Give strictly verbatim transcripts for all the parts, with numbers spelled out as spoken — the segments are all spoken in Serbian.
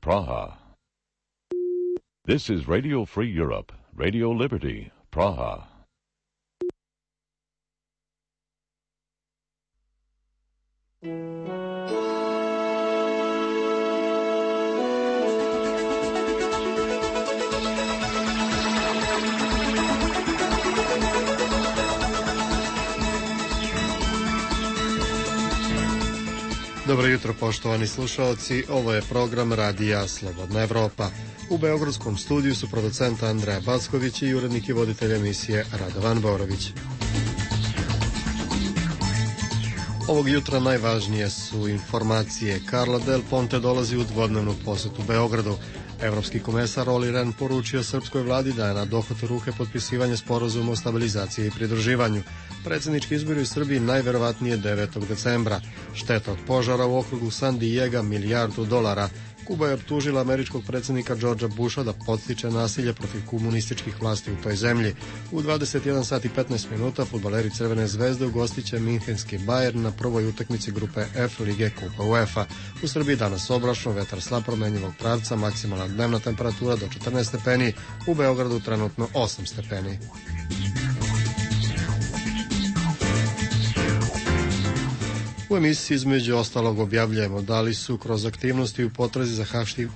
Praha. This is Radio Free Europe, Radio Liberty, Praha. Dobro jutro, poštovani slušalci, ovo je program Radija Slobodna Evropa. U beogradskom studiju su producent Andreja Backović i urednik i voditelj emisije Radovan Borović. Ovog jutra najvažnije su informacije. Carla Del Ponte dolazi u dvodnevnu posetu Beogradu. Evropski komesar Olli Rehn poručio srpskoj vladi da je na dohvatu ruke potpisivanje sporazuma o stabilizaciji i pridruživanju. Predsjednički izbori u Srbiji najverovatnije devetog decembra. Šteta od požara u okrugu San Diego milijardu dolara. Kuba je optužila američkog predsjednika Georgea Busha da podstiče nasilje protiv komunističkih vlasti u toj zemlji. U dvadeset jedan sat i petnaest minuta fudbaleri Crvene zvezde ugostiće minhenski Bayern na prvoj utakmici grupe F Lige Kupa UEFA. U Srbiji danas oblačno, vetar slab promenjivog pravca, maksimalna dnevna temperatura do četrnaest stepeni, u Beogradu trenutno osam stepeni. U emisiji između ostalog objavljujemo da li su kroz aktivnosti u potrazi za haški,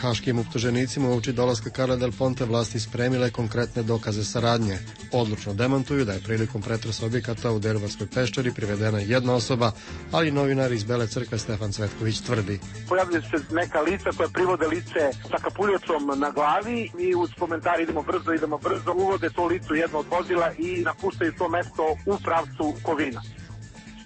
haškim optuženicima uoči dolaska Carle Del Ponte vlasti spremile konkretne dokaze saradnje. Odlučno demantuju da je prilikom pretresa objekata u Deruvarskoj peščari privedena jedna osoba, ali novinar iz Bele crkve Stefan Cvetković tvrdi. Pojavljaju se neka lica koja privode lice sa kapuljacom na glavi i uz komentar idemo brzo, idemo brzo, uvode to lice u jedno od vozila i napuštaju to mesto u pravcu Kovina.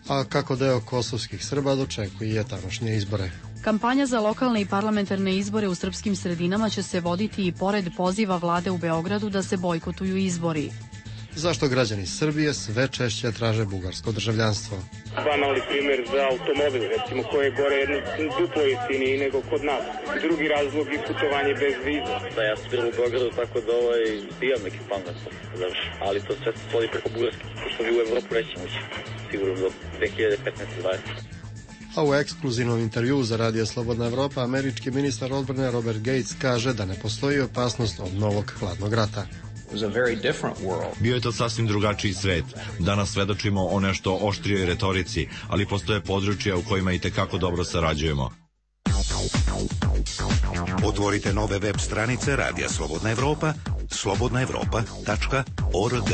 A kako deo kosovskih Srba dočekuje tamošnje izbore. Kampanja za lokalne i parlamentarne izbore u srpskim sredinama će se voditi i pored poziva vlade u Beogradu da se bojkotuju izbori. Zašto građani Srbije sve češće traže bugarsko državljanstvo? Banalni primjer za automobil, recimo, koje je gore jedno duplo jeftiniji nego kod nas. Drugi razlog je putovanje bez viza. Da, ja sam bilo u Beogradu, tako da ovaj, imam neki plan da se završi. Ali to sve se svodi preko bugarske, pošto mi u Evropu nećemo ući, sigurno do dve hiljade petnaeste dvadesete A u ekskluzivnom intervjuu za Radio Slobodna Evropa američki ministar odbrane Robert Gates kaže da ne postoji opasnost od novog hladnog rata. Bio je to sasvim drugačiji svet. Danas svedočimo o nešto oštrijoj retorici, ali postoje područja u kojima i tekako dobro sarađujemo. Otvorite nove web stranice Radija Slobodna Evropa, slobodna evropa tačka org.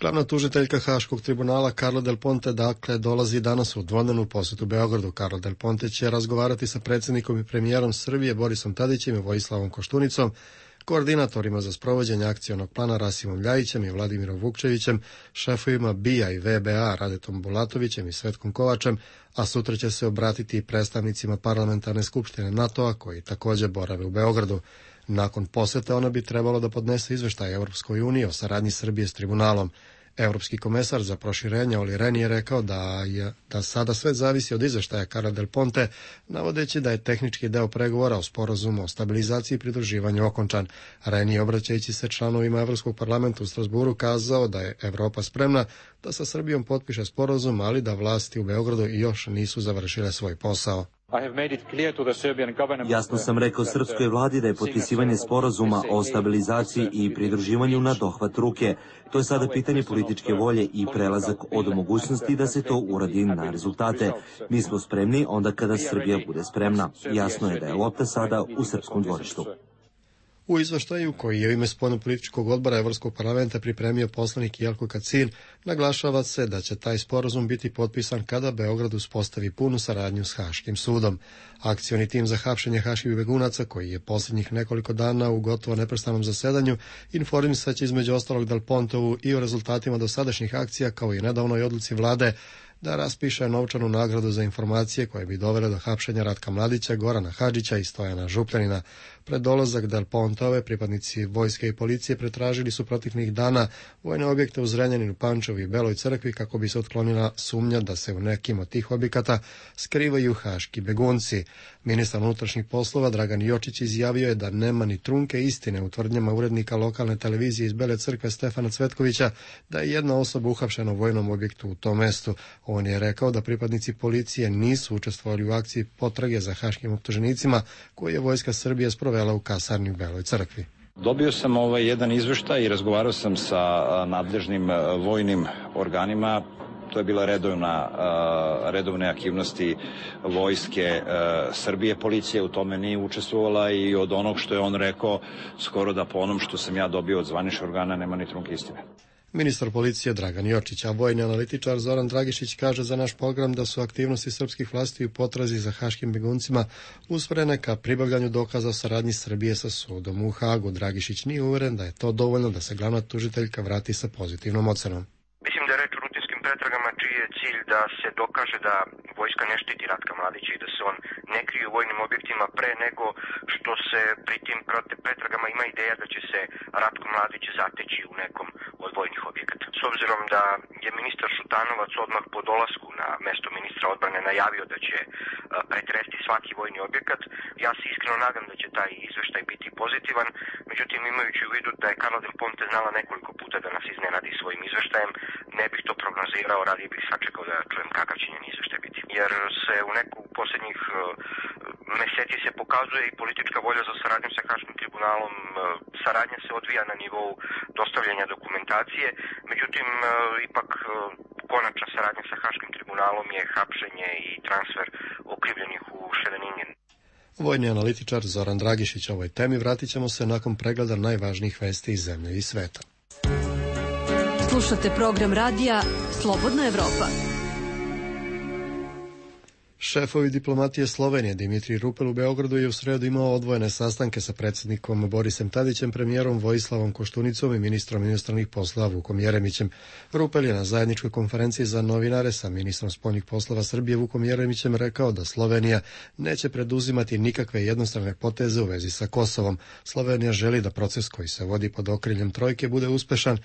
Glavna tužiteljka Haškog tribunala Carla Del Ponte dakle dolazi danas u dvodnevnu posetu Beogradu. Carla Del Ponte će razgovarati sa predsjednikom i premijerom Srbije Borisom Tadićem i Vojislavom Koštunicom, koordinatorima za sprovođenje akcionog plana Rasimom Ljajićem i Vladimirom Vukčevićem, šefovima B I A i V B A Radetom Bulatovićem i Svetkom Kovačem, a sutra će se obratiti i predstavnicima parlamentarne skupštine NATO-a koji također borave u Beogradu. Nakon posete ona bi trebalo da podnese izveštaj Evropskoj uniji o saradnji Srbije s tribunalom. Evropski komesar za proširenje Olli Rehn je rekao da, je, da sada sve zavisi od izveštaja Carle Del Ponte, navodeći da je tehnički deo pregovora o sporazumu o stabilizaciji i pridruživanju okončan. Rehn je, obraćajući se članovima Evropskog parlamenta u Strasburu, kazao da je Evropa spremna da sa Srbijom potpiše sporazum, ali da vlasti u Beogradu još nisu završile svoj posao. Jasno sam rekao srpskoj vladi da je potpisivanje sporazuma o stabilizaciji i pridruživanju na dohvat ruke. To je sada pitanje političke volje i prelazak od mogućnosti da se to uradi na rezultate. Mi smo spremni onda kada Srbija bude spremna. Jasno je da je lopta sada u srpskom dvorištu. U izveštaju koji je u ime spoljnopolitičkog odbora Evropskog parlamenta pripremio poslanik Jelko Kacin, naglašava se da će taj sporazum biti potpisan kada Beograd uspostavi punu saradnju s Haškim sudom. Akcioni tim za hapšenje haških begunaca, koji je posljednjih nekoliko dana u gotovo neprestanom zasedanju, informisaće između ostalog Del Pontovu i o rezultatima dosadašnjih akcija, kao i nedavnoj odluci vlade da raspiše novčanu nagradu za informacije koje bi dovele do hapšenja Ratka Mladića, Gorana Hadžića i Stojana Župljanina. Pred dolazak Del Pontove pripadnici vojske i policije pretražili su proteklih dana vojne objekte u Zrenjaninu, Pančevu i Beloj crkvi kako bi se otklonila sumnja da se u nekim od tih objekata skrivaju haški begunci. Ministar unutrašnjih poslova Dragan Jočić izjavio je da nema ni trunke istine u tvrdnjama urednika lokalne televizije iz Bele crkve Stefana Cvetkovića da je jedna osoba uhapšena u vojnom objektu u tom mestu. On je rekao da pripadnici policije nisu učestvovali u akciji potrage za haškim optuženicima koju je Vojska Srbije sprovela u kasarni u Beloj Crkvi. Dobio sam ovaj jedan izveštaj i razgovarao sam sa nadležnim vojnim organima. To je bila redovna, redovne aktivnosti Vojske Srbije. Policija u tome nije učestvovala i od onog što je on rekao, skoro da po onom što sam ja dobio od zvaničnih organa nema ni trunke istine. Ministar policije Dragan Jočić, a vojni analitičar Zoran Dragišić kaže za naš program da su aktivnosti srpskih vlasti u potrazi za haškim beguncima usmjerene ka pribavljanju dokaza o saradnji Srbije sa sudom u Hagu. Dragišić nije uveren da je to dovoljno da se glavna tužiteljka vrati sa pozitivnom ocenom. Mislim da je reč o rutinskim pretragama čiji je cilj da se dokaže da vojska ne štiti Ratka Mladića i da se on ne krije u vojnim objektima pre nego što se pri tim pretragama ima ideja da će se Ratko Mladić zateći u nekom od vojnih objekata. S obzirom da je ministar Šutanovac odmah po dolasku na mesto ministra odbrane najavio da će pretresti svaki vojni objekat, ja se iskreno nadam da će taj izveštaj biti pozitivan, međutim imajući u vidu da je Carla Del Ponte znala nekoliko puta da nas iznenadi svojim izveštajem, ne bih to prognozirao, radije bih sačekao da čujem kakav će njen izveštaj biti. Jer se u neku posljednjih meseci se pokazuje i politička volja za saradnjom sa Haškim tribunalom. Saradnja se odvija na nivou dostavljanja dokumentacije, međutim ipak konačna saradnja sa Haškim tribunalom je hapšenje i transfer okrivljenih u Ševeningen. Vojni analitičar Zoran Dragišić, ovoj temi vratit ćemo se nakon pregleda najvažnijih vesti iz zemlje i sveta. Slušate program radija Slobodna Evropa. Šefovi diplomatije Slovenije Dimitrij Rupel u Beogradu je u sredu imao odvojene sastanke sa predsjednikom Borisom Tadićem, premijerom Vojislavom Koštunicom i ministrom inostranih poslova Vukom Jeremićem. Rupel je na zajedničkoj konferenciji za novinare sa ministrom spoljnih poslova Srbije Vukom Jeremićem rekao da Slovenija neće preduzimati nikakve jednostrane poteze u vezi sa Kosovom. Slovenija želi da proces koji se vodi pod okriljem trojke bude uspešan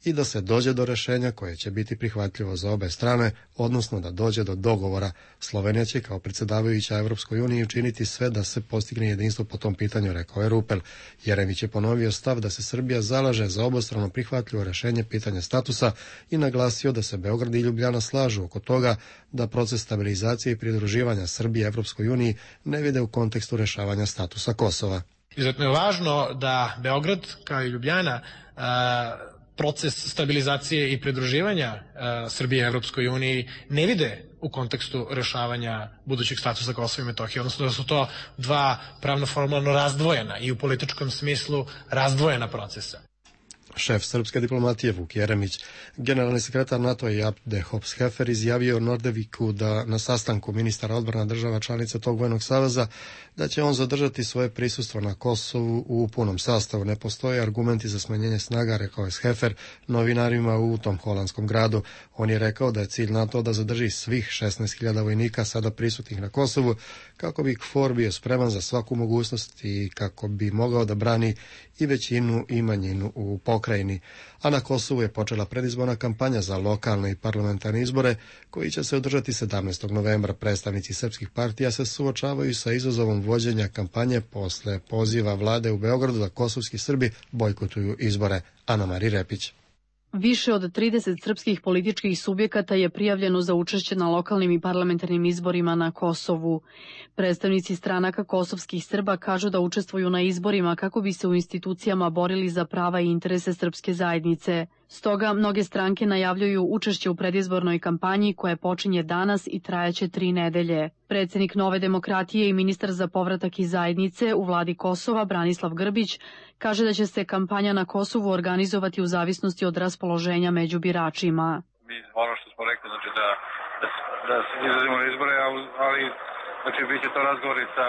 i da se dođe do rešenja koje će biti prihvatljivo za obe strane, odnosno da dođe do dogovora. Slovenija će kao predsjedavajuća Evropskoj uniji učiniti sve da se postigne jedinstvo po tom pitanju, rekao je Rupel. Jeremić je ponovio stav da se Srbija zalaže za obostrano prihvatljivo rešenje pitanja statusa i naglasio da se Beograd i Ljubljana slažu oko toga da proces stabilizacije i pridruživanja Srbije Evropskoj uniji ne vide u kontekstu rešavanja statusa Kosova. Izuzetno je važno da Beograd kao i Ljubljana a, proces stabilizacije i pridruživanja uh, Srbije Evropskoj uniji ne vide u kontekstu rešavanja budućeg statusa Kosova i Metohije, odnosno da su to dva pravno formalno razdvojena i u političkom smislu razdvojena procesa. Šef srpske diplomatije Vuk Jeremić, generalni sekretar NATO i Abde Hopshefer izjavio Nordeviku da na sastanku ministara odbrana država članica tog vojnog saveza da će on zadržati svoje prisustvo na Kosovu u punom sastavu. Ne postoje argumenti za smanjenje snaga, rekao je Hefer novinarima u tom holandskom gradu. On je rekao da je cilj NATO da zadrži svih šesnaest hiljada vojnika sada prisutnih na Kosovu kako bi KFOR bio spreman za svaku mogućnost i kako bi mogao da brani i većinu i manjinu u pokrajini. A na Kosovu je počela predizborna kampanja za lokalne i parlamentarne izbore koji će se održati sedamnaestog novembra. Predstavnici srpskih partija se suočavaju sa izazovom vođenja kampanje posle poziva vlade u Beogradu da kosovski Srbi bojkotuju izbore. Ana Mari Repić. Više od trideset srpskih političkih subjekata je prijavljeno za učešće na lokalnim i parlamentarnim izborima na Kosovu. Predstavnici stranaka kosovskih Srba kažu da učestvuju na izborima kako bi se u institucijama borili za prava i interese srpske zajednice. Stoga mnoge stranke najavljuju učešće u predizbornoj kampanji koja počinje danas i trajaće tri nedelje. Predsjednik Nove demokratije i ministar za povratak iz zajednice u vladi Kosova Branislav Grbić kaže da će se kampanja na Kosovu organizovati u zavisnosti od raspoloženja među biračima. Mi ono što smo rekli, znači da, da, da se izrazimo na izbore, ali znači bit će to razgovori sa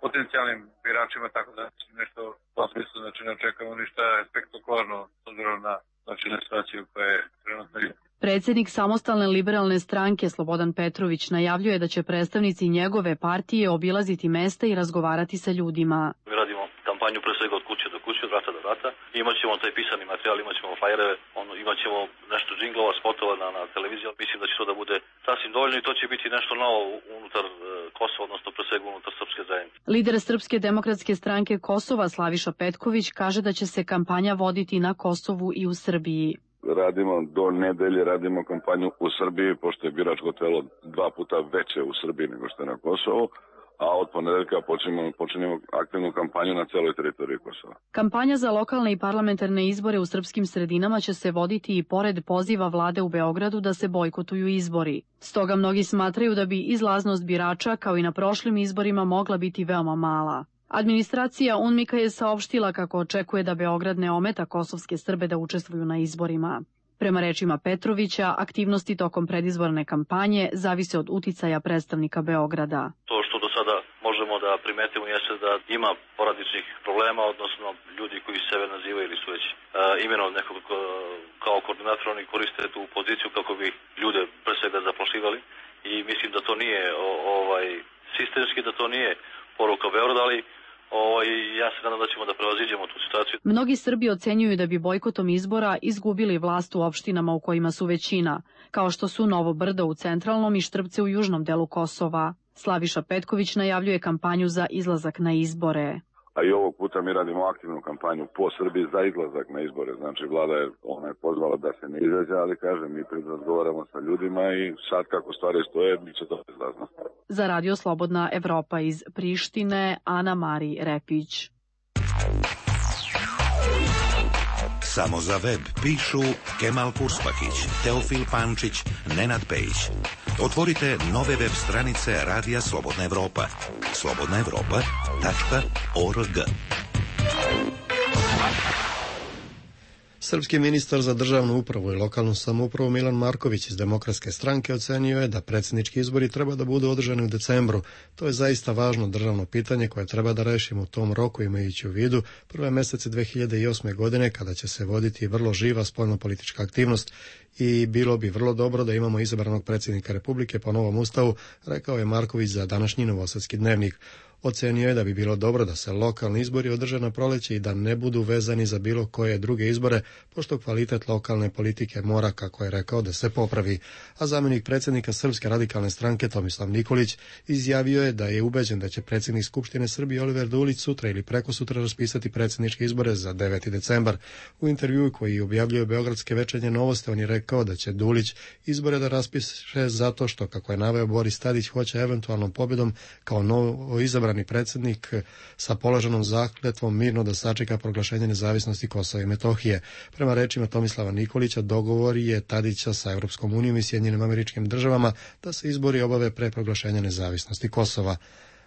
potencijalnim biračima, tako da nešto u tom smislu, znači ne očekujemo ništa spektakularno s obzirom na znači na situaciju koja je trenutno. Predsjednik Samostalne liberalne stranke Slobodan Petrović najavljuje da će predstavnici njegove partije obilaziti mesta i razgovarati sa ljudima. Mi radimo kampanju pre svega od kuće do kuće, od vrata do vrata. Imaćemo taj pisani materijal, imaćemo flajere, on, imaćemo nešto džinglova, spotova na, na televiziji. Mislim da će to da bude sasvim dovoljno i to će biti nešto novo unutar e, Kosova, odnosno pre svega unutar srpske zajednice. Lider Srpske demokratske stranke Kosova Slaviša Petković kaže da će se kampanja voditi na Kosovu i u Srbiji. radimo do nedelje, radimo kampanju u Srbiji, pošto je biračko telo dva puta veće u Srbiji nego što je na Kosovu, a od ponedeljka počinjemo, počinjemo aktivnu kampanju na celoj teritoriji Kosova. Kampanja za lokalne i parlamentarne izbore u srpskim sredinama će se voditi i pored poziva vlade u Beogradu da se bojkotuju izbori. Stoga mnogi smatraju da bi izlaznost birača, kao i na prošlim izborima, mogla biti veoma mala. Administracija UNMIK-a je saopštila kako očekuje da Beograd ne ometa kosovske Srbe da učestvuju na izborima. Prema rečima Petrovića, aktivnosti tokom predizborne kampanje zavise od uticaja predstavnika Beograda. To što do sada možemo da primetimo jeste da ima porodičnih problema, odnosno ljudi koji sebe nazivaju ili su već uh, imenom nekog kao koordinator, oni koriste tu poziciju kako bi ljude pre svega zaplašivali i mislim da to nije o, ovaj sistemski, da to nije poruka Beograda, ali O, i ja se nadam da ćemo da prevaziđemo tu situaciju. Mnogi Srbi ocenjuju da bi bojkotom izbora izgubili vlast u opštinama u kojima su većina, kao što su Novo Brdo u centralnom i Štrpce u južnom delu Kosova. Slaviša Petković najavljuje kampanju za izlazak na izbore. A i ovog puta mi radimo aktivnu kampanju po Srbiji za izlazak na izbore. Znači, vlada je, ona je pozvala da se ne izađe, ali kažem, mi razgovaramo sa ljudima i sad kako stvari stoje, bit će to izlazno. Za Radio Slobodna Evropa iz Prištine, Ana Mari Repić. Samo za web pišu Kemal Kurspakić, Teofil Pančić, Nenad Pejić. Otvorite nove web stranice Radija Slobodna Evropa. slobodna evropa tačka org. Srpski ministar za državnu upravu i lokalnu samoupravu Milan Marković iz Demokratske stranke ocenio je da predsjednički izbori treba da budu održani u decembru. To je zaista važno državno pitanje koje treba da rešimo u tom roku, imajući u vidu prve mesece dve hiljade osme. godine kada će se voditi vrlo živa spoljnopolitička aktivnost i bilo bi vrlo dobro da imamo izabranog predsjednika Republike po novom ustavu, rekao je Marković za današnji Novosadski dnevnik. Ocenio je da bi bilo dobro da se lokalni izbori održe na proleće i da ne budu vezani za bilo koje druge izbore, pošto kvalitet lokalne politike mora, kako je rekao, da se popravi. A zamjenik predsjednika Srpske radikalne stranke Tomislav Nikolić izjavio je da je ubeđen da će predsjednik Skupštine Srbije Oliver Dulić sutra ili prekosutra raspisati predsjedničke izbore za deveti decembar. U intervjuu koji objavljuje Beogradske večernje novosti on je rekao da će Dulić izbore da raspiše zato što, kako je naveo Boris Tadić, hoće eventualnom pobjedom kao novo izabrani predsjednik sa položenom zakletvom mirno da sačeka proglašenje nezavisnosti Kosova i Metohije. Prema rečima Tomislava Nikolića, dogovor je Tadića sa Europskom unijom i Sjedinjenim Američkim Državama da se izbori obave pre proglašenja nezavisnosti Kosova.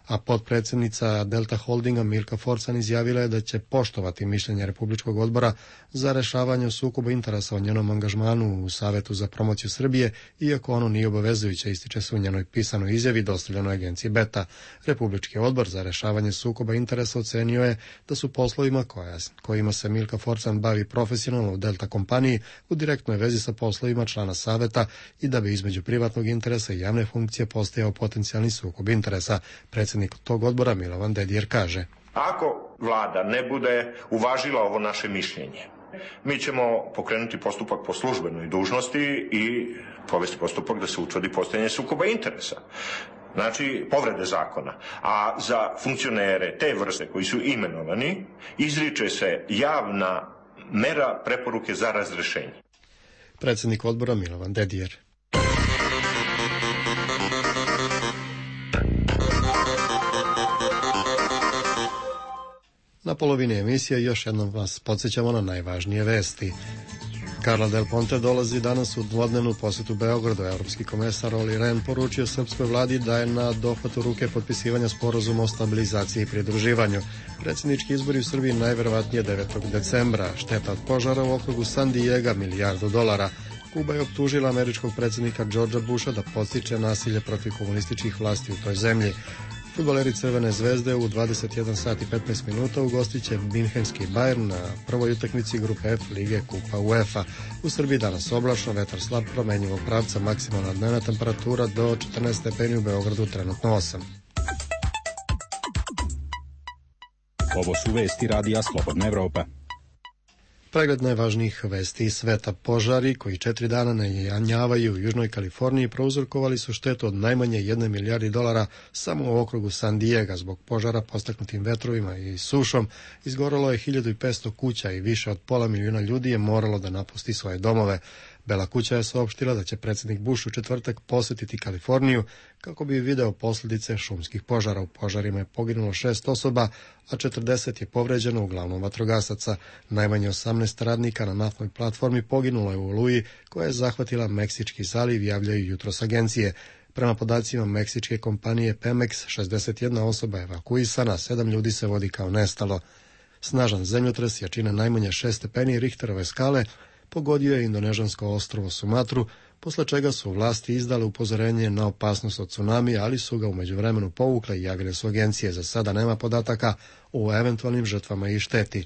A potpredsjednica Delta Holdinga Milka Forcan izjavila je da će poštovati mišljenje Republičkog odbora za rešavanje sukoba interesa o njenom angažmanu u Savetu za promociju Srbije, iako ono nije obavezujuće, ističe se u njenoj pisanoj izjavi dostavljenoj agenciji Beta. Republički odbor za rešavanje sukoba interesa ocenio je da su poslovima koja, kojima se Milka Forcan bavi profesionalno u Delta kompaniji u direktnoj vezi sa poslovima člana Saveta i da bi između privatnog interesa i javne funkcije postojao potencijalni sukob interesa. Predsjednik tog odbora Milovan Dedijer kaže: Ako vlada ne bude uvažila ovo naše mišljenje, mi ćemo pokrenuti postupak po službenoj dužnosti i povesti postupak da se utvrdi postojanje sukoba interesa. Znači, povrede zakona. A za funkcionere te vrste koji su imenovani, izriče se javna mera preporuke za razrešenje. Predsjednik odbora Milovan Dedijer. Na polovini emisije još jednom vas podsjećamo na najvažnije vesti. Carla Del Ponte dolazi danas u dvodnevnu posetu Beogradu. Evropski komesar Olli Rehn poručio srpskoj vladi da je na dohvatu ruke potpisivanja sporazuma o stabilizaciji i pridruživanju. Predsjednički izbori u Srbiji najverovatnije devetog decembra. Šteta od požara u okrugu San Diego milijardu dolara. Kuba je optužila američkog predsjednika Georgea Busha da podstiče nasilje protiv komunističkih vlasti u toj zemlji. Fudbaleri Crvene zvezde u dvadeset jedan sat i petnaest minuta ugostit će Minhenski Bayern na prvoj utakmici grupe F Lige Kupa UEFA. U Srbiji danas oblačno, vetar slab, promenjivog pravca, maksimalna dnevna temperatura do četrnaest stepeni, u Beogradu trenutno osam. Ovo su vesti Radija Slobodna Evropa. Pregled najvažnijih vesti iz sveta. Požari koji četiri dana najanjavaju u Južnoj Kaliforniji prouzrokovali su štetu od najmanje jedne milijardi dolara samo u okrugu San Diega. Zbog požara postaknutim vetrovima i sušom izgorelo je hiljadu petsto kuća i više od pola milijuna ljudi je moralo da napusti svoje domove. Bela kuća je saopštila da će predsjednik Bush u četvrtak posetiti Kaliforniju kako bi video posljedice šumskih požara. U požarima je poginulo šest osoba, a četrdeset je povređeno, uglavnom vatrogasaca. Najmanje osamnaest radnika na naftnoj platformi poginulo je u oluji koja je zahvatila Meksički zaliv, javljaju jutros agencije. Prema podacima meksičke kompanije Pemex, šezdeset jedna osoba je evakuisana, sedam ljudi se vodi kao nestalo. Snažan zemljotres jačine najmanje šest stepeni Richterove skale pogodio je indonežansko ostrvo Sumatru, posle čega su vlasti izdale upozorenje na opasnost od tsunamija, ali su ga u međuvremenu povukle i javile su agencije. Za sada nema podataka o eventualnim žrtvama i šteti.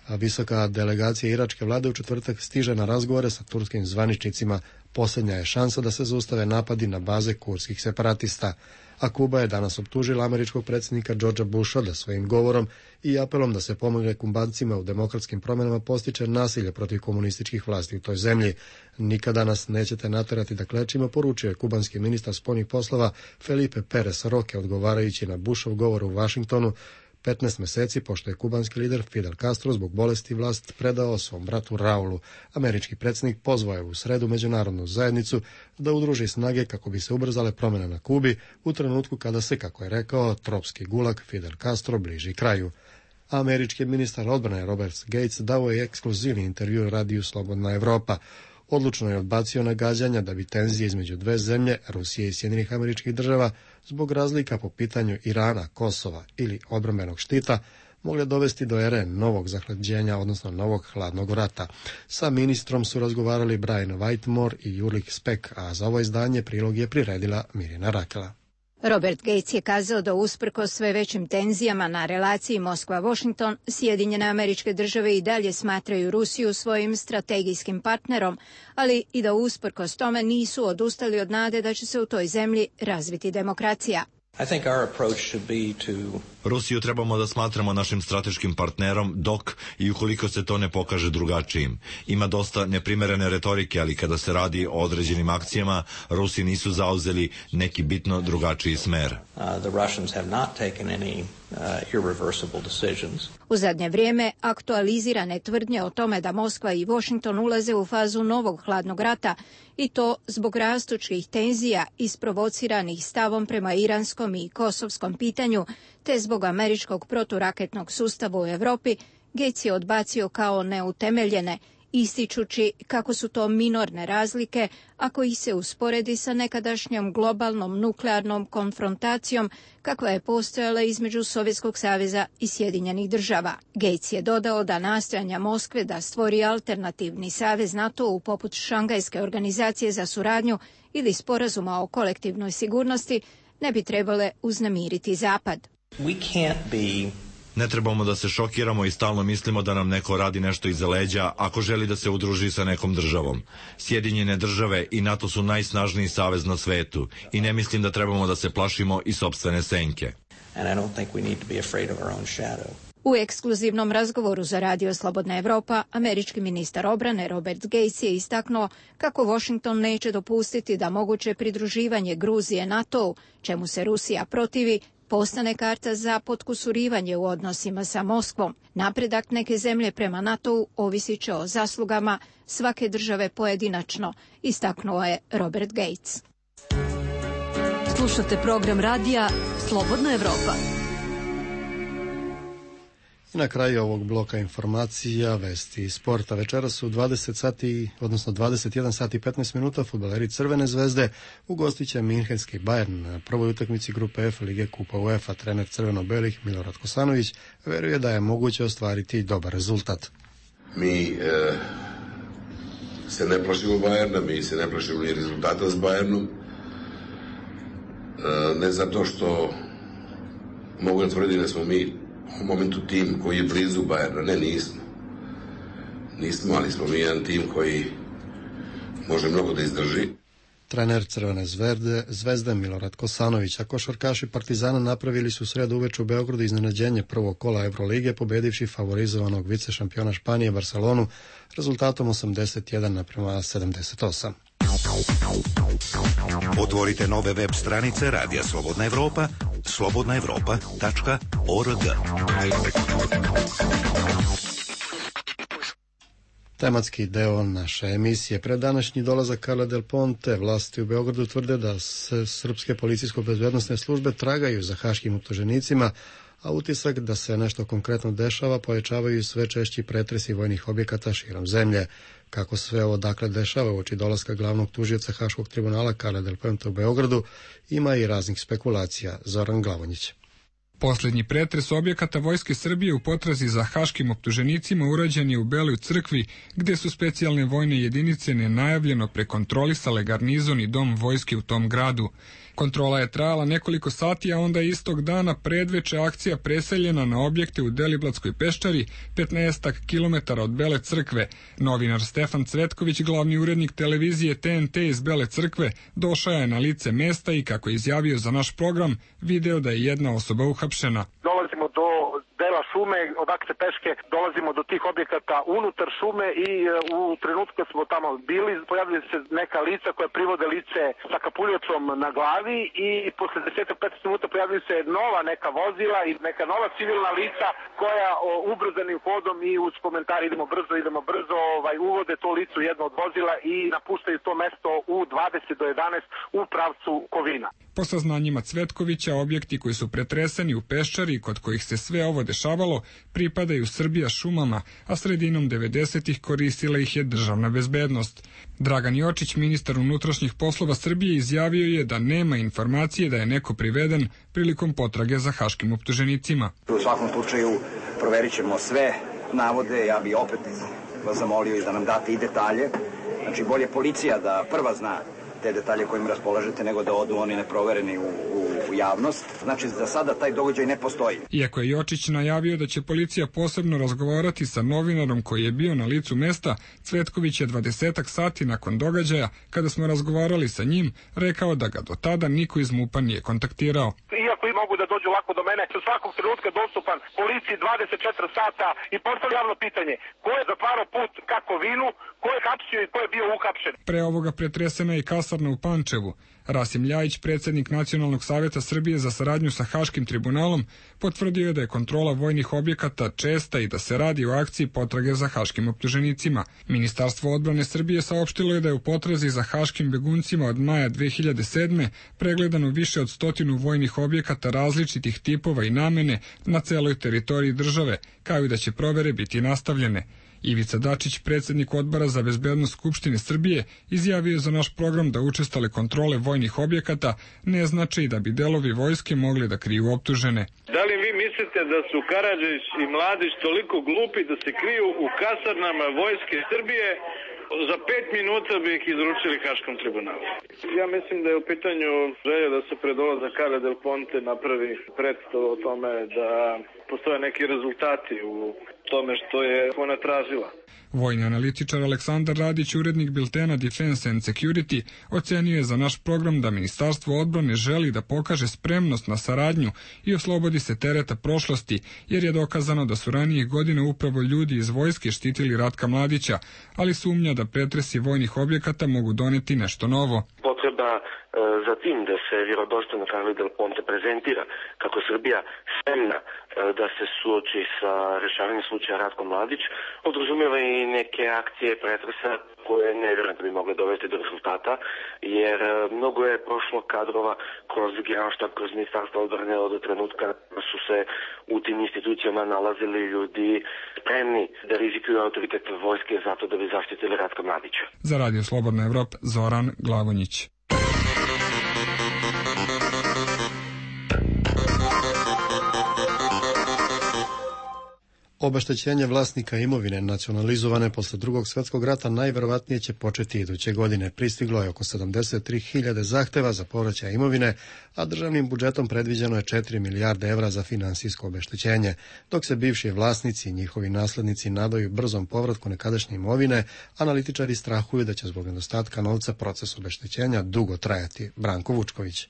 A visoka delegacija iračke vlade u četvrtak stiže na razgovore sa turskim zvaničnicima. Posljednja je šansa da se zaustave napadi na baze kurdskih separatista. A Kuba je danas optužila američkog predsjednika Georgea Busha da svojim govorom i apelom da se pomogne Kubancima u demokratskim promjenama postiče nasilje protiv komunističkih vlasti u toj zemlji. Nikada nas nećete naterati da klečimo, poručio je kubanski ministar spoljnih poslova Felipe Perez Roque odgovarajući na Bushov govor u Vašingtonu petnaest meseci pošto je kubanski lider Fidel Castro zbog bolesti vlast predao svom bratu Raulu. Američki predsjednik pozvao je u sredu međunarodnu zajednicu da udruži snage kako bi se ubrzale promjene na Kubi u trenutku kada se, kako je rekao, tropski gulag Fidel Castro bliži kraju. Američki ministar odbrane Robert Gates dao je ekskluzivni intervju radiju Slobodna Evropa. Odlučno je odbacio nagađanja da bi tenzije između dve zemlje, Rusije i Sjedinjenih Američkih Država, zbog razlika po pitanju Irana, Kosova ili odbrambenog štita, mogle dovesti do ere novog zahlađenja, odnosno novog hladnog rata. Sa ministrom su razgovarali Brian Whitmore i Ulrich Speck, a za ovo izdanje prilog je priredila Mirjana Rakela. Robert Gates je kazao da usprkos sve većim tenzijama na relaciji Moskva-Washington, Sjedinjene Američke Države i dalje smatraju Rusiju svojim strategijskim partnerom, ali i da usprkos tome nisu odustali od nade da će se u toj zemlji razviti demokracija. I think our approach should be to... Rusiju trebamo da smatramo našim strateškim partnerom dok i ukoliko se to ne pokaže drugačijim. Ima dosta neprimerene retorike, ali kada se radi o određenim akcijama, Rusi nisu zauzeli neki bitno drugačiji smer. Uh, the Russians have not taken any uh, irreversible decisions. U zadnje vrijeme aktualizirane tvrdnje o tome da Moskva i Washington ulaze u fazu novog hladnog rata i to zbog rastućih tenzija isprovociranih stavom prema iranskom i kosovskom pitanju, te zbog američkog proturaketnog sustava u Europi, Gates je odbacio kao neutemeljene, ističući kako su to minorne razlike ako ih se usporedi sa nekadašnjom globalnom nuklearnom konfrontacijom kakva je postojala između Sovjetskog saveza i Sjedinjenih Država. Gates je dodao da nastojanja Moskve da stvori alternativni savez NATO-u poput Šangajske organizacije za suradnju ili sporazuma o kolektivnoj sigurnosti ne bi trebale uznemiriti Zapad. We can't be... Ne trebamo da se šokiramo i stalno mislimo da nam neko radi nešto iza leđa ako želi da se udruži sa nekom državom. Sjedinjene države i NATO su najsnažniji savez na svetu i ne mislim da trebamo da se plašimo i sopstvene senke. And I don't think we need to be afraid of our own shadow. U ekskluzivnom razgovoru za Radio Slobodna Evropa, američki ministar obrane Robert Gates je istaknuo kako Washington neće dopustiti da moguće pridruživanje Gruzije NATO-u, čemu se Rusija protivi, postane karta za potkusurivanje u odnosima sa Moskvom. Napredak neke zemlje prema NATO-u ovisit će o zaslugama svake države pojedinačno, istaknuo je Robert Gates. Slušate program radija Slobodna Evropa. I na kraju ovog bloka informacija, vesti i sporta. Večeras su dvadeset sati, odnosno dvadeset jedan sati i petnaest minuta fudbaleri Crvene zvezde ugostit će Minhenski Bayern na prvoj utakmici grupe F Lige Kupa UEFA. Trener crveno-belih Milorad Kosanović veruje da je moguće ostvariti dobar rezultat. Mi e, se ne plašimo Bayerna, mi se ne plašimo ni rezultata s Bayernom. E, ne zato što mogu da tvrdim da smo mi u momentu tim koji je blizu Bayerna. Ne, nismo. Nismo, ali smo mi jedan tim koji može mnogo da izdrži. trener Crvene zvezde, zvezde Milorad Kosanović, a košarkaši Partizana napravili su sredu uveče u Beogradu iznenađenje prvog kola Evrolige, pobedivši favorizovanog vicešampiona Španije Barcelonu rezultatom osamdeset jedan naprema sedamdeset osam. Otvorite nove web stranice Radija Slobodna Evropa, slobodna evropa tačka org. Tematski deo naše emisije. Pred današnji dolazak Carle Del Ponte vlasti u Beogradu tvrde da srpske policijsko-bezbednosne službe tragaju za haškim optuženicima, a utisak da se nešto konkretno dešava pojačavaju sve češći pretresi vojnih objekata širom zemlje. Kako sve ovo dakle dešava uoči dolaska glavnog tužioca Haškog tribunala Carle Del Ponte u Beogradu, ima i raznih spekulacija. Zoran Glavonjić. Poslednji pretres objekata Vojske Srbije u potrazi za haškim optuženicima urađen je u Beloj crkvi, gde su specijalne vojne jedinice nenajavljeno prekontrolisale garnizon i dom vojske u tom gradu. Kontrola je trajala nekoliko sati, a onda istog dana predveče akcija preseljena na objekte u Deliblatskoj peščari, petnaestak kilometara od Bele crkve. Novinar Stefan Cvetković, glavni urednik televizije T N T iz Bele crkve, došao je na lice mesta i, kako je izjavio za naš program, video da je jedna osoba uhapšena. Dolazimo do dela šume, odakle peške dolazimo do tih objekata unutar šume i u trenutku kad smo tamo bili pojavili se neka lica koja privode lice sa kapuljacom na glavi i posle deset do petnaest minuta pojavili se nova neka vozila i neka nova civilna lica koja o, ubrzanim hodom i uz komentar idemo brzo, idemo brzo, ovaj, uvode to licu jedno od vozila i napuštaju to mesto u dvadeset do jedanaest u pravcu Kovina. Po saznanjima Cvetkovića, objekti koji su pretreseni u Peščari, kod kojih se sve ovo dešavalo, pripadaju Srbija šumama, a sredinom devedesetih koristila ih je državna bezbednost. Dragan Jočić, ministar unutrašnjih poslova Srbije, izjavio je da nema informacije da je neko priveden prilikom potrage za haškim optuženicima. U svakom slučaju proverit ćemo sve navode, ja bi opet vas zamolio i da nam date i detalje. Znači, bolje policija da prva zna te detalje kojim raspolažete, nego da odu oni neprovereni u, u, u javnost. Znači, za sada taj događaj ne postoji. Iako je Jočić najavio da će policija posebno razgovarati sa novinarom koji je bio na licu mesta, Cvetković je dvadesetak sati nakon događaja, kada smo razgovarali sa njim, rekao da ga do tada niko iz MUP-a nije kontaktirao. Iako i mogu da dođu lako do mene, u svakog trenutka dostupan policiji dvadeset četiri sata i postavlja javno pitanje ko je zatvarao put ka Kovinu, ko je hapsio i ko je bio uhapšen. Pre ovoga pretresena je i kasarna u Pančevu. Rasim Ljajić, predsjednik Nacionalnog savjeta Srbije za saradnju sa Haškim tribunalom, potvrdio je da je kontrola vojnih objekata česta i da se radi o akciji potrage za haškim optuženicima. Ministarstvo odbrane Srbije saopštilo je da je u potrazi za haškim beguncima od maja dve hiljade sedme pregledano više od stotinu vojnih objekata različitih tipova i namene na celoj teritoriji države, kao i da će provere biti nastavljene. Ivica Dačić, predsjednik Odbora za bezbednost Skupštine Srbije, izjavio za naš program da učestale kontrole vojnih objekata ne znači da bi delovi vojske mogli da kriju optužene. Da li vi mislite da su Karadžić i Mladić toliko glupi da se kriju u kasarnama vojske Srbije? Za pet minuta bi ih izručili Haškom tribunalu. Ja mislim da je u pitanju želja da se pred dolazak Carle Del Ponte napravi predstav o tome da postoje neki rezultati u tome što je ona tražila. Vojni analitičar Aleksandar Radić, urednik biltena Defense and Security, ocenio je za naš program da Ministarstvo odbrane želi da pokaže spremnost na saradnju i oslobodi se tereta prošlosti, jer je dokazano da su ranijih godina upravo ljudi iz vojske štitili Ratka Mladića, ali sumnja da pretresi vojnih objekata mogu doneti nešto novo. Potreba za tim da se vjerodostojno Carle Del Ponte prezentira kako Srbija spremna da se suoči sa rešavanjem slučaja Ratko Mladić, podrazumijeva i neke akcije pretresa koje ne vjerujem da bi mogle dovesti do rezultata, jer mnogo je prošlo kadrova kroz Generalštab, kroz Ministarstvo odbrane od trenutka su se u tim institucijama nalazili ljudi spremni da rizikuju autoritet vojske zato da bi zaštitili Ratka Mladića. Za Radio Slobodna Evropa, Zoran Glavonjić. Obeštećenje vlasnika imovine nacionalizovane posle drugog svetskog rata najverovatnije će početi iduće godine. Pristiglo je oko sedamdeset tri hiljade zahteva za povraćaj imovine, a državnim budžetom predviđeno je četiri milijarde evra za finansijsko obeštećenje, dok se bivši vlasnici i njihovi naslednici nadaju brzom povratku nekadašnje imovine, analitičari strahuju da će zbog nedostatka novca proces obeštećenja dugo trajati. Branko Vučković.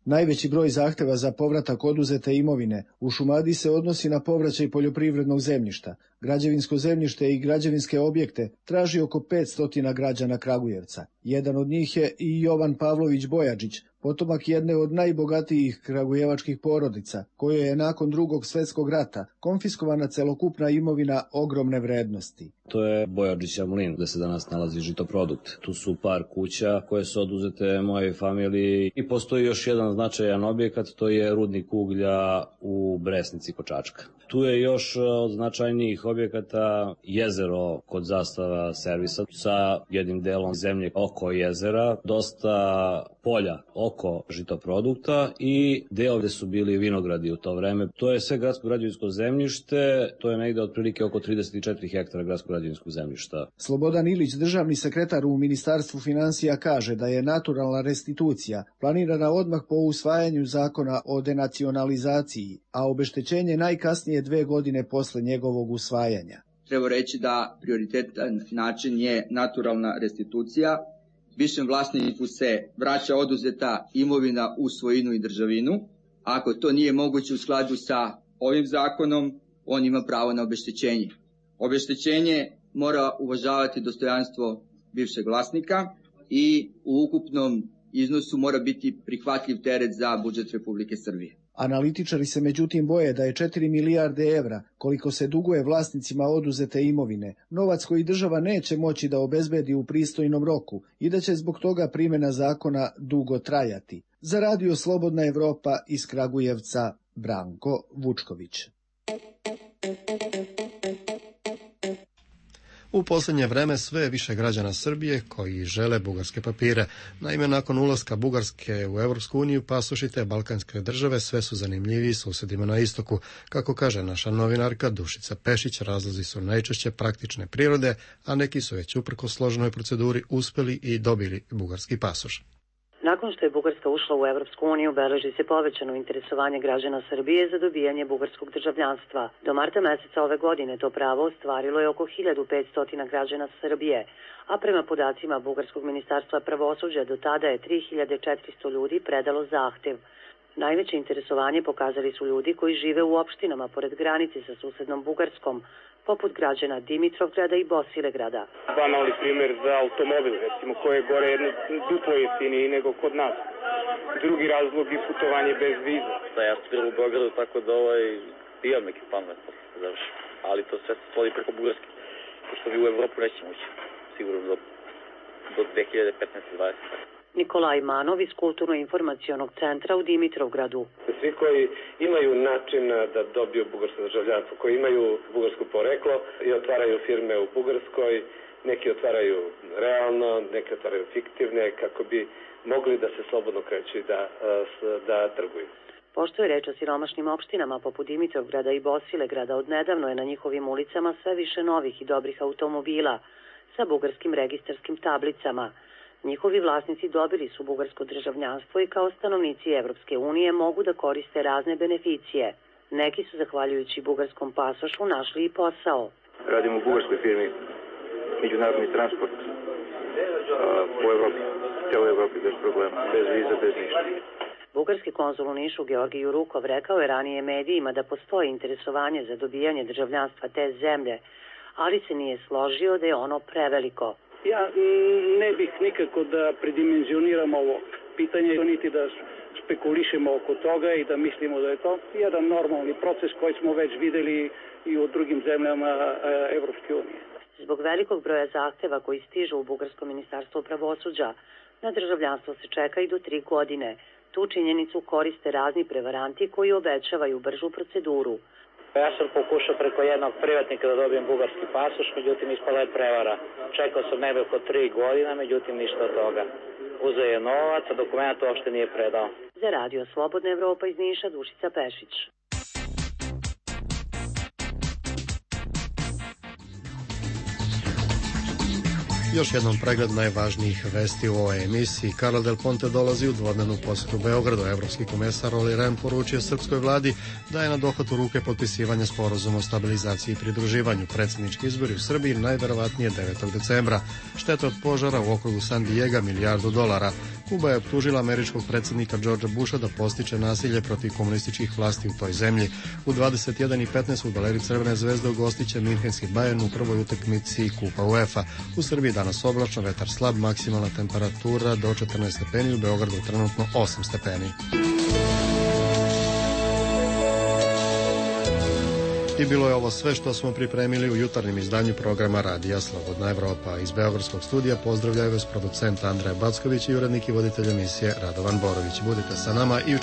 Najveći broj zahteva za povratak oduzete imovine u Šumadiji se odnosi na povraćaj poljoprivrednog zemljišta. Građevinsko zemljište i građevinske objekte traži oko petsto građana Kragujevca. Jedan od njih je i Jovan Pavlović Bojačić, potomak jedne od najbogatijih kragujevačkih porodica, kojoj je nakon drugog svetskog rata konfiskovana celokupna imovina ogromne vrednosti. To je Bojačića mlin, gde se danas nalazi Žitoprodukt. Tu su par kuća koje su oduzete mojoj familiji i postoji još jedan značajan objekat, to je rudnik uglja u Bresnici kod Čačka. Tu je još od značajnijih objekata jezero kod Zastava servisa sa jednim delom zemlje oko jezera, dosta polja oko Žitoprodukta i deo gde su bili vinogradi u to vreme. To je sve gradsko građevinsko zemljište, to je negde otprilike oko trideset četiri hektara gradsko građevinskog zemljišta. Slobodan Ilić, državni sekretar u Ministarstvu finansija, kaže da je naturalna restitucija planirana odmah po usvajanju zakona o denacionalizaciji, a obeštećenje najkasnije dve godine posle njegovog usvajanja. Treba reći da prioritetan način je naturalna restitucija. Višem vlasniku se vraća oduzeta imovina u svojinu i državinu. Ako to nije moguće u skladu sa ovim zakonom, on ima pravo na obeštećenje. Obeštećenje mora uvažavati dostojanstvo bivšeg vlasnika i u ukupnom iznosu mora biti prihvatljiv teret za budžet Republike Srbije. Analitičari se međutim boje da je četiri milijarde evra, koliko se duguje vlasnicima oduzete imovine, novac koji država neće moći da obezbedi u pristojnom roku i da će zbog toga primjena zakona dugo trajati. Za Radio Slobodna Evropa iz Kragujevca, Branko Vučković. U posljednje vreme sve je više građana Srbije koji žele bugarske papire. Naime, nakon ulaska Bugarske u Evropsku uniju, pasoši te balkanske države sve su zanimljiviji susedima na istoku. Kako kaže naša novinarka Dušica Pešić, razlozi su najčešće praktične prirode, a neki su već uprkos složenoj proceduri uspeli i dobili bugarski pasoš. Nakon što je Bugarska ušla u Evropsku uniju, beleži se povećano interesovanje građana Srbije za dobijanje bugarskog državljanstva. Do marta meseca ove godine to pravo ostvarilo je oko hiljadu petsto građana Srbije, a prema podacima Bugarskog ministarstva pravosuđa do tada je tri hiljade četiristo ljudi predalo zahtev. Najveće interesovanje pokazali su ljudi koji žive u opštinama pored granice sa susednom Bugarskom, poput građana Dimitrovgrada i Bosilegrada. Banalni primjer za automobil, recimo, koje je gore jedno duplo jeftiniji nego kod nas. Drugi razlog je putovanje bez viza. Da, ja studiram u Beogradu, tako da ovaj, imam neki plan da završim. Ali to sve se svodi preko Bugarske, pošto mi u Evropu nećemo ući, sigurno do, do dve hiljade petnaeste dvadesete Nikolaj Manov iz Kulturno-informacionog centra u Dimitrovgradu. Svi koji imaju način da dobiju bugarsko državljanstvo, koji imaju bugarsko poreklo i otvaraju firme u Bugarskoj, neki otvaraju realno, neki otvaraju fiktivne, kako bi mogli da se slobodno kreću i da, da trguju. Pošto je reč o siromašnim opštinama poput Dimitrovgrada i Bosilegrada, odnedavno je na njihovim ulicama sve više novih i dobrih automobila sa bugarskim registarskim tablicama. Njihovi vlasnici dobili su bugarsko državljanstvo i kao stanovnici Evropske unije mogu da koriste razne beneficije. Neki su, zahvaljujući bugarskom pasošu, našli i posao. Radim u bugarskoj firmi, međunarodni transport po Evropi, celoj Evropi bez problema, bez viza, bez ništa. Bugarski konzul u Nišu Georgij Jurukov rekao je ranije medijima da postoji interesovanje za dobijanje državljanstva te zemlje, ali se nije složio da je ono preveliko. Ja ne bih nikako da predimenzioniram ovo pitanje, niti da spekulišemo oko toga i da mislimo da je to jedan normalni proces koji smo već videli i u drugim zemljama Evropske unije. Zbog velikog broja zahteva koji stižu u Bugarsko ministarstvo pravosuđa, na državljanstvo se čeka i do tri godine. Tu činjenicu koriste razni prevaranti koji obećavaju bržu proceduru. Ja sam pokušao preko jednog privatnika da dobijem bugarski pasoš, međutim ispala je prevara. Čekao sam nebe oko tri godina, međutim ništa od toga. Uzeo je novac, a dokument uopšte nije predao. Za Radio Slobodna Evropa iz Niša, Dušica Pešić. Još jednom pregled najvažnijih vesti u ovoj emisiji. Carla Del Ponte dolazi u dvodnevnu posjetu Beogradu. Evropski komesar Olli Rehn poručio srpskoj vladi da je na dohvatu ruke potpisivanja sporazuma o stabilizaciji i pridruživanju. Predsjednički izbori u Srbiji najverovatnije devetog decembra. Šteta od požara u okrugu San Diega milijardu dolara. Kuba je optužila američkog predsjednika Georgea Busha da postiče nasilje protiv komunističkih vlasti u toj zemlji. U dvadeset jedan i petnaest fudbaleri Crvene zvezde ugostiće Minhenski Bayern u prvoj utakmici Kupa UEFA. U Srbiji danas oblačno, vetar slab, maksimalna temperatura do četrnaest stepeni, u Beogradu trenutno osam stepeni. I bilo je ovo sve što smo pripremili u jutarnjem izdanju programa Radija Slobodna Evropa. Iz Beogradskog studija pozdravljaju vas producent Andreja Backović i urednik i voditelj emisije Radovan Borović. Budite sa nama i u